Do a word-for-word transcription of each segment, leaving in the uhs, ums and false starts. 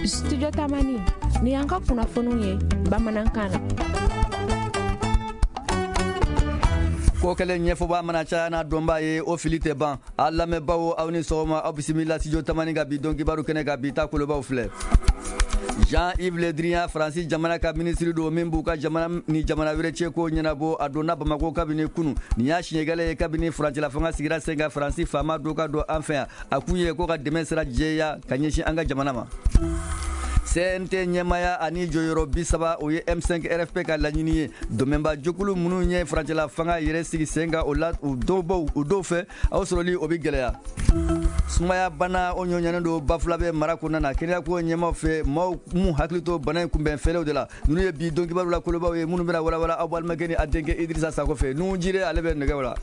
Studio Tamani ni y'an ka kunnafoniw ye bamanankan na. Ko kɛlen ɲɛfɔba mana caya n'a dɔnbaa ye, o fili tɛ ban. A lamɛnbaaw, aw ni sɔgɔma, aw bisimila Studio Tamani ka bi don kibaru kɛnɛ kan. Bi ta kolobaw filɛ: Jean-Yves Le Drian, Faransi jamana ka minisiri don min b'u ka jamana ni jamana wɛrɛ cɛ ko ɲɛnabɔ, a donna Bamako kabini kunu. Nin y'a siɲɛ kelen ye kabini furancɛla fanga sigira sen kan, Faransi faama dɔ ka don an fɛ yan. A kun ye ko ka dɛmɛ sira jɛya ka ɲɛsin an ka jamana ma. C N T ɲɛmaya ani jɔyɔrɔ bi saba, o ye M cinq R F P ka laɲini ye. Dɛmɛba jɛkulu minnu ye furancɛla fanga yɛrɛ sigi sen kan, o la u dɔw baw u dɔw fɛ, aw sɔrɔli o bɛ gɛlɛya. Sumaya bana, o ɲɔɲanen don Bafulabe mara kɔnɔna na. Kɛnɛyako ɲɛmaw fɛ, maaw m'u hakili to bana in kunbɛn fɛlɛw de la. Ninnu ye bi don kibaru la kolobaw ye minnu bɛna walawala aw balimakɛ ni a denkɛ Idirisa Sako fɛ. Nuhu Jire, ale bɛ nɛgɛw la.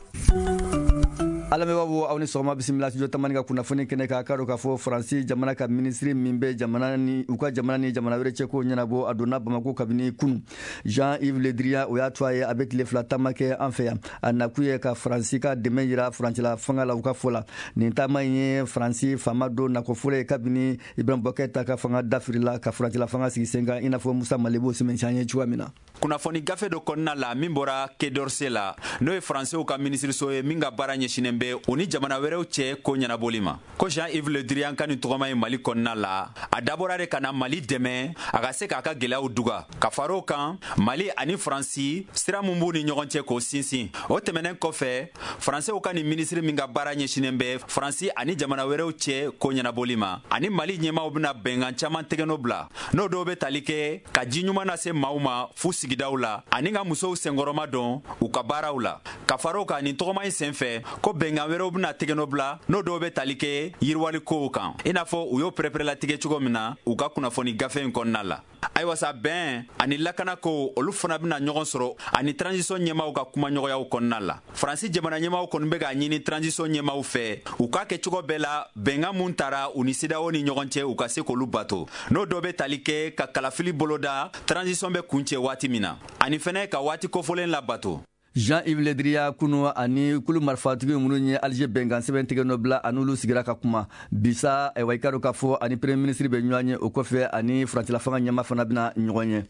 Alamɛbaaw, aw ni sɔgɔma, bisimila Studio Tamani ka kunnafoni kɛnɛ kan. K'a dɔn k'a fɔ Faransi jamana ka minisiri min bɛ jamana ni u ka jamana ni jamana wɛrɛ cɛ ko ɲɛnabɔ, a donna Bamako kabini kunu. Jean-Yves Le Drian, o y'a to a ye a bɛ tile fila taama kɛ an fɛ yan. A nakun ye ka Faransi ka dɛmɛ yira furancɛla fanga la, u ka fɔ la. Nin taama in ye Faransi faama dɔ nako fɔlɔ ye kabini Ibrahim Boubacar ta ka fanga dafirila ka furancɛla fanga sigi sen kan, i n'a fɔ Musa Malebo sɛmɛntiya ye cogoya min na. Kunnafoni gafe dɔ kɔnɔna la min bɔra Quai d'Orsay la, n'o ye Faransiw ka minisiriso ye min ka baara ɲɛsinen bɛ u ni jamana wɛrɛw cɛ ko ɲɛnabɔli ma, ko Jean-Yves Le Drian ka nin tɔgɔma ye Mali kɔnɔna la, a dabɔra de ka na Mali dɛmɛ a ka se k'a ka gwɛlɛyaw duga, ka far'o kan Mali ani Faransi sira mun b'u ni ɲɔgɔn cɛ k'o sinsin. O tɛmɛnen kɔfɛ, Faransiw ka nin minisiri min ka baara ɲɛsinen bɛ Faransi ani jamana wɛrɛw cɛ ko ɲɛnabɔli ma, ani Mali ɲɛmaw bɛna bɛnkan caman tɛgɛnɔ bila, n'o dɔw bɛ tali kɛ ka ji ɲuman lase maaw ma fu sigidaw la ani ka musow senkɔrɔma dɔn u ka baaraw la. Ka far'o kan, nin tɔgɔma in senfɛ, ko bɛnkan wɛrɛw bɛna tɛgɛnɔ bila, n'o dɔw bɛ tali kɛ yiriwali kow kan, i n'a fɔ u y'o pɛrɛpɛrɛlatigɛ cogo min na u ka kunnafoni gafe in kɔnɔna la. Ayiwa sa, bɛn ani lakana ko, olu fana bɛna ɲɔgɔn sɔrɔ ani transition ɲɛmaw ka kumaɲɔgɔnyaw kɔnɔna la. Faransi jamana ɲɛmaw kɔni bɛ k'a ɲini transition ɲɛmaw fɛ, u k'a kɛ cogo bɛɛ la, bɛnkan mun tara u ni CEDEAO ni ɲɔgɔn cɛ, u ka se k'olu bato, n'o dɔ bɛ tali kɛ ka kalafili boloda transition bɛ kuncɛ waati min na, ani fɛnɛ ka waati kofɔlen labato. Jean-Yves Le Drian, kunu ani kulu marifatigi minnu ye Alger bɛnkan sɛbɛn tigɛ nɔ bila, ani olu sigira ka kuma. Bisa ayiwa, i ka dɔn k'a fɔ ani premier ministre bɛ ɲɔgɔn ye. O kɔfɛ, ani furancɛla fanga ɲɛma fana bɛna ɲɔgɔn ye.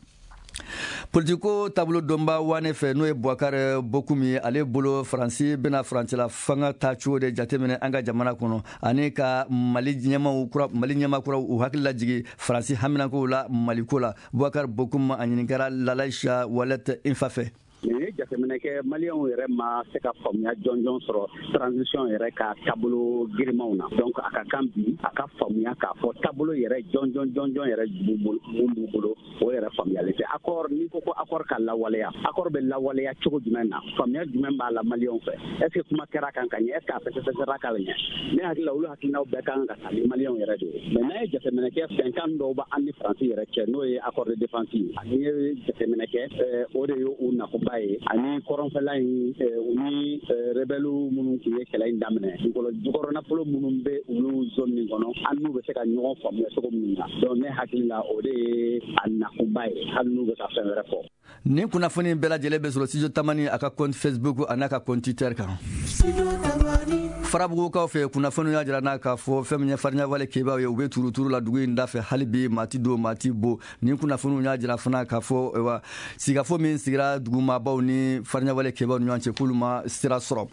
Politiko taabolo dɔnba wane fɛ, n'o ye Boubacar Bocoum ye, ale bolo Faransi bɛna furancɛla fanga ta cogo de jateminɛ an ka jamana kɔnɔ, ani ka Mali ɲɛmaw kura, Mali ɲɛma kuraw u hakili lajigi Faransi haminankow la Maliko la. Boubacar Bocoum, a ɲininkara Lalaïcha Walet Infa fɛ. Nin ye jateminɛ kɛ, Maliyɛnw yɛrɛ ma se ka faamuya jɔnjɔn sɔrɔ transition yɛrɛ ka taabolo girimanw na. Donc a ka kan bi a ka faamuya k'a fɔ taabolo yɛrɛ jɔnjɔn jɔnjɔn yɛrɛ mun b'u bolo, o yɛrɛ faamuyali tɛ. Accord, n'i ko ko accord ka lawaleya, accord bɛ lawaleya cogo jumɛn na? Faamuya jumɛn b'a la Maliyɛnw fɛ? est ce que kuma kɛra kan ka ɲɛ? est ce que a fɛsɛfɛsɛra ka ɲɛ? Ne hakili la, olu hakilinaw bɛɛ kan ka ta ni Maliyɛnw yɛrɛ de ye. Mais n'a ye jateminɛ kɛ, bɛnkan dɔw b'an ni Faransi yɛrɛ cɛ, n'o ye accord de défense ye. N'i ye jateminɛ kɛ, o de ye u nakuba ye, ani kɔrɔnfɛla in, u ni rebelles minnu tun ye kɛlɛ in daminɛ, dugukolo jukɔrɔ nafolo minnu bɛ olu zone nin kɔnɔ, an n'u bɛ se ka ɲɔgɔn faamuya cogo min na. Donc ne hakili la, o de ye a nakunba ye, hali n'u bɛ ka fɛn wɛrɛ fɔ. Nin kunnafoni bɛɛ lajɛlen bɛ sɔrɔ Studio Tamani a ka compte Facebook a n'a ka compte Twitter kan. Farabugukaw fɛ, kunnafoniw y'a jira n'a k'a fɔ fɛn min ye fariɲawale kebaw ye, u bɛ turuturu la dugu in da fɛ hali bi, maa ti don, maa ti bo. Nin kunnafoniw y'a jira fana k'a fɔ wa sigikafo min sigira dugumabaw ni fariɲawale kebaw ni ɲɔgɔn cɛ, k'olu ma sira sɔrɔ.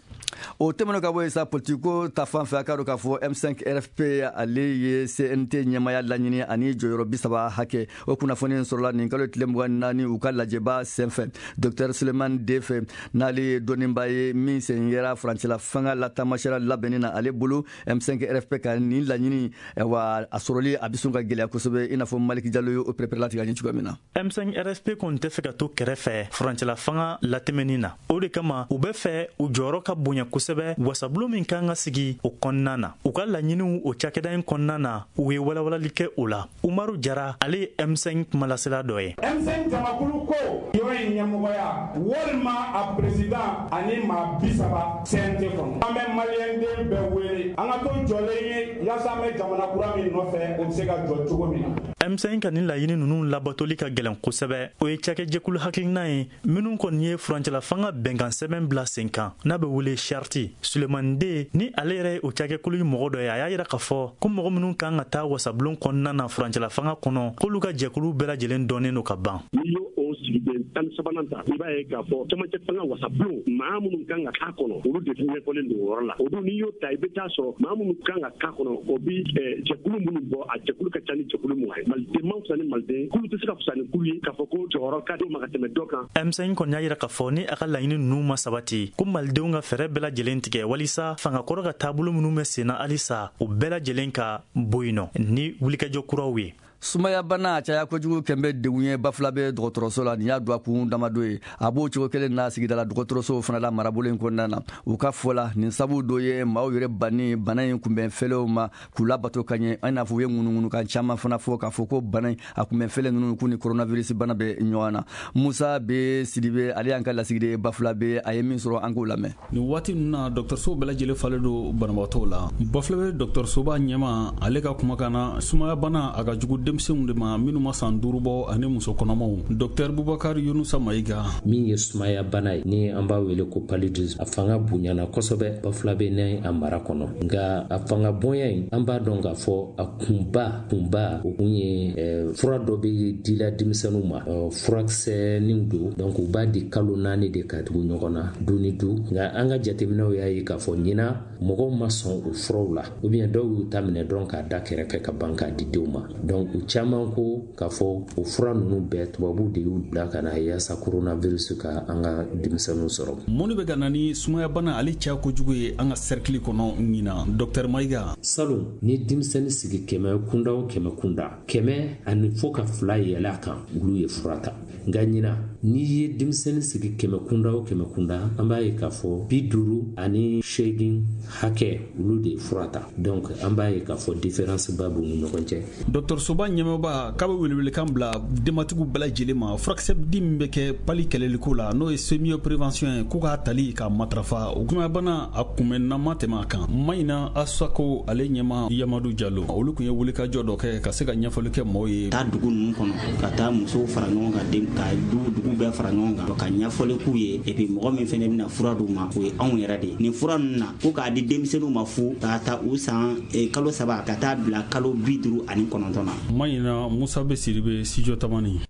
O tɛmɛnen ka bɔ yen sa, politiko ta fan fɛ, a k'a dɔn k'a fɔ M cinq R F P ale ye C N T ɲɛmaya laɲini ani jɔyɔrɔ bi saba hakɛ. O kunnafoni sɔrɔla nin kalo tile mugan naani u ka lajɛba senfɛ. Docteur Suleiman Defe, n'ale ye dɔnniba ye min sen yera furancɛla fanga la taamasiyɛra labɛnni na, ale bolo M cinq R F P ka nin laɲini wa a sɔrɔli a bɛ sɔn ka gɛlɛya kosɛbɛ, i n'a fɔ Maliki Jalo ye o pɛrɛpɛrɛlatigɛ an ye cogoya min na. M cinq R F P kɔni tɛ fɛ ka to kɛrɛfɛ furancɛla fanga latɛmɛni na. O de kama u bɛ fɛ u jɔyɔrɔ ka bonya kosɛbɛ wasabulon min kan ka sigi o kɔnɔna na. U ka laɲiniw o cakɛda in kɔnɔna na, u ye walawalali kɛ o la. Umaru Jara, ale ye M cinq kumalasela dɔ ye. M cinq jamakulu ko yɔrɔ in ɲɛmɔgɔya walima a président ani maa bi saba C N T kɔnɔ, an bɛ Maliyɛn maliyɛnden bɛɛ wele an ka to jɔlen ye yaasa an bɛ jamana kura min nɔfɛ o bɛ se ka jɔ cogo min na. M cinq ka nin laɲini ninnu labatoli ka gɛlɛn kosɛbɛ. O ye cakɛjɛkulu hakilina ye minnu kɔni ye furancɛla fanga bɛnkan sɛbɛn bila sen kan n'a bɛ wele charte. Sulemani Den ni ale yɛrɛ ye o cakɛkulu mɔgɔ dɔ ye, a y'a yira k'a fɔ ko mɔgɔ minnu kan ka taa wasabulon kɔnɔna na furancɛla fanga kɔnɔ k'olu ka jɛkulu bɛɛ lajɛlen dɔnnen don ka ban. N'i y'o o sigiden tan ni sabanan ta, i b'a ye k'a fɔ camancɛ fanga wasabulon maa minnu kan ka k'a kɔnɔ olu de ɲɛfɔlen don o yɔrɔ la. O dun n'i y'o ta i bɛ taa sɔrɔ maa minnu kan ka k'a kɔnɔ o bi jɛkulu minnu bɔ, a jɛkulu ka ca ni jɛkulu mugan ye. Maliden man fisa ni maliden, kulu tɛ se ka fisa ni kulu ye k'a fɔ ko jɔyɔrɔ ka d'o ma ka tɛmɛ dɔ kan. M cinq kɔni y'a yira k'a fɔ ni a ka laɲini ninnu ma sabati ko malidenw ka fɛɛrɛ bɛɛ lajɛlen tigɛ walisa fangakɔrɔ ka taabolo minnu bɛ sen na halisa o bɛɛ lajɛlen ka bɔ yen nɔ ni wulikajɔ kuraw ye. Sumaya bana a caya kojugu kɛn bɛ degun ye Bafulabe dɔgɔtɔrɔso la. Nin y'a don a kun damadɔ ye. A b'o cogo kelen na sigidala dɔgɔtɔrɔso fana la marabolo in kɔnɔna na. U ka fɔ la nin sabu dɔ ye maaw yɛrɛ banni bana in kunbɛn fɛlɛw ma k'u labato ka ɲɛ. I n'a fɔ u ye ŋunuŋunukan caman fana fɔ k'a fɔ ko bana in a kunbɛn fɛlɛ ninnu k'u ni coronavirus bana bɛ ɲɔgɔn na. Musa B Sidibe ale y'an ka lasigiden Bafulabe, a ye min sɔrɔ an k'o lamɛn. Nin waati ninnu na dɔgɔtɔrɔso bɛɛ lajɛlen falen don banabaatɔw la. Bafulabe dɔgɔtɔrɔsoba ɲɛmaa ale ka kumakan na, sumaya bana a ka jugu denmisɛnw de ma minnu ma san duuru bɔ ani muso kɔnɔmaw. Docteur Bubakar Yunusa Mayiga. Min ye sumaya bana ye ni an b'a wele ko paludisme, a fanga bonyana kosɛbɛ Bafulabe ni a mara kɔnɔ. Nka a fanga bonya in an b'a dɔn k'a fɔ a kunba kunba o kun ye eh, fura dɔ bɛ dila denmisɛnninw ma, furakisɛninw don, donc u b'a di kalo naani de ka tugu ɲɔgɔn na du ni du. Nka an ka jateminɛw y'a ye k'a fɔ ɲina mɔgɔw ma sɔn o furaw la, ou bien dɔw y'u ta minɛ dɔrɔn k'a da kɛrɛfɛ ka ban k'a di denw ma. Donc u caman ko k'a fɔ o fura ninnu bɛɛ tubabuw de y'u bila ka na yaasa coronavirus ka an ka denmisɛnninw sɔrɔ. Mun de bɛ ka na ni sumaya bana ale caya kojugu ye an ka cercle kɔnɔ ɲinan, Docteur Mayiga? Salon ni denmisɛnnin sigi kɛmɛ kunda o kɛmɛ kunda, kɛmɛ ani fo ka fila yɛlɛ a kan, olu ye fura ta. Nka ɲinan n'i ye denmisɛnnin sigi kɛmɛ kunda o kɛmɛ kunda, an b'a ye k'a fɔ bi duuru ani seegin hakɛ olu de ye fura ta. Donc an b'a ye k'a fɔ différence ba b'u ni ɲɔgɔn cɛ. Dɔgɔtɔrɔsoba ɲɛmɔgɔba k'a bɛ welewelekan bila denbatigiw bɛɛ lajɛlen ma, furakisɛ di min bɛ kɛ pali kɛlɛliko la n'o ye semio prévention ye, k'u k'a tali k'a matarafa. O sumaya bana a kunbɛnnama tɛmɛ a kan. Mayina Asako ale ɲɛma Yamadu Jalo, olu tun ye wulikajɔ dɔ kɛ ka se ka ɲɛfɔli kɛ maaw ye. Taa dugu ninnu kɔnɔ ka taa musow fara ɲɔgɔn kan, den ka du dugu bɛɛ fara ɲɔgɔn kan ka ɲɛfɔli k'u ye. Et puis mɔgɔ min fɛnɛ bɛna fura d'u ma o ye anw yɛrɛ de ye. Nin fura ninnu na ko k'a di denmisɛnninw ma fu k'a ta u san kalo saba ka taa bila kalo bi duuru ani kɔnɔntɔn na. Mayina Musa B Sidibe, Studio Tamani.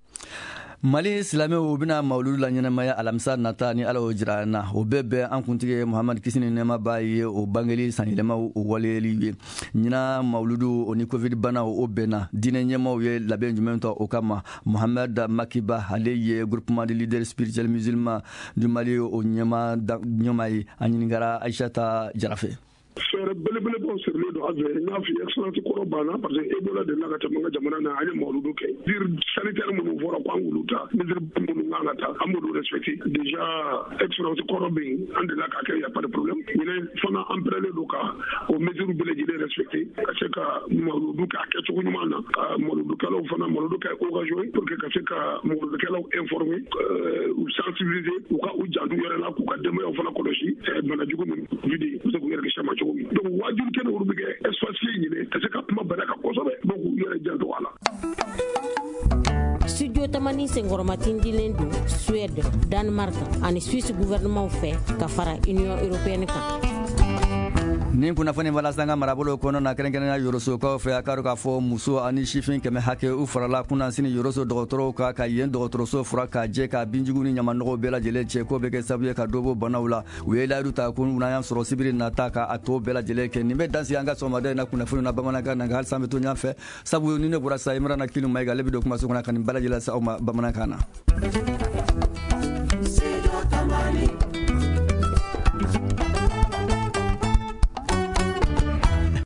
Mali silamɛw bɛna mawuludu la ɲɛnamaya alamisa nata ni Ala y'o jira an na. O bɛɛ bɛn an kuntigi Muhamadu kisi ni nɛɛma b'a ye o bangeli sanyɛlɛmaw o waleyali ye. Ɲinan mawuludu o ni covid bana o bɛnna. Diinɛ ɲɛmaaw ye labɛn jumɛn ta o kama? Mohamed Makiba ale ye groupement de leaders spirituels musulmans du Mali o ɲɛmaa ɲɛmaa ye. A ɲininkara Aïssata Jara fɛ. Fɛɛrɛ belebelebaw sirilen don an fɛ. N y'a f'i ye excellence kɔrɔ banna parce que Ebola delila ka tɛmɛ an ka jamana na, an ye mawuludu kɛ. Mesure sanitaire minnu fɔra ko an k'olu ta, mesure minnu kan ka ta, an b'olu respecter. Déjà excellence kɔrɔ bɛ yen, an delila k'a kɛ, y a pas de problème. Ɲinɛ fana an pɛrɛlen don ka o mesure bɛɛ lajɛlen respecter ka se ka mawuludu kɛ a kɛcogo ɲuman na, ka mawuludukɛlaw fana mawuludu kɛ occasion ye pour que ka se ka mawuludukɛlaw informer, u sensibiliser, u ka u janto u yɛrɛ la, k'u ka denbayaw fana kɔlɔsi bana jugu min Covid u bɛ se k'u yɛrɛ kisi a ma cogo min. Donc waajuli kɛnɛ olu bɛ kɛ espace ɲini ka se ka kuma bana kan kosɛbɛ, donc k'u yɛrɛ janto a la. Studio Tamani senkɔrɔmatindilen don Suède, Danemark ani Suisse gouvernement fɛ ka fara Union européenne kan. Nin kunnafoni walasa an ka marabolo kɔnɔ na, kɛrɛnkɛrɛnnenya Yorosokaw fɛ, a k'a dɔn k'a fɔ muso ani sifin kɛmɛ hakɛ u farala kunnasini Yoroso dɔgɔtɔrɔw kan ka yen dɔgɔtɔrɔso fura k'a jɛ k'a binjugu ni ɲamanɔgɔw bɛɛ lajɛlen cɛ k'o bɛ kɛ sababu ye ka dɔ bɔ banaw la. U ye layidu ta ko n'an y'a sɔrɔ sibiri nata ka a tɔ bɛɛ lajɛlen kɛ. Nin bɛ dan sigi an ka sɔgɔmada in na kunnafoni na bamanankan na, nka halisa an bɛ to ɲɔgɔn fɛ, sabu ni ne bɔra sa Imrana Kinu Mayiga ale bɛ don kumaso kɔnɔ ka nin bɛɛ lajɛlen lase aw ma bamanankan na.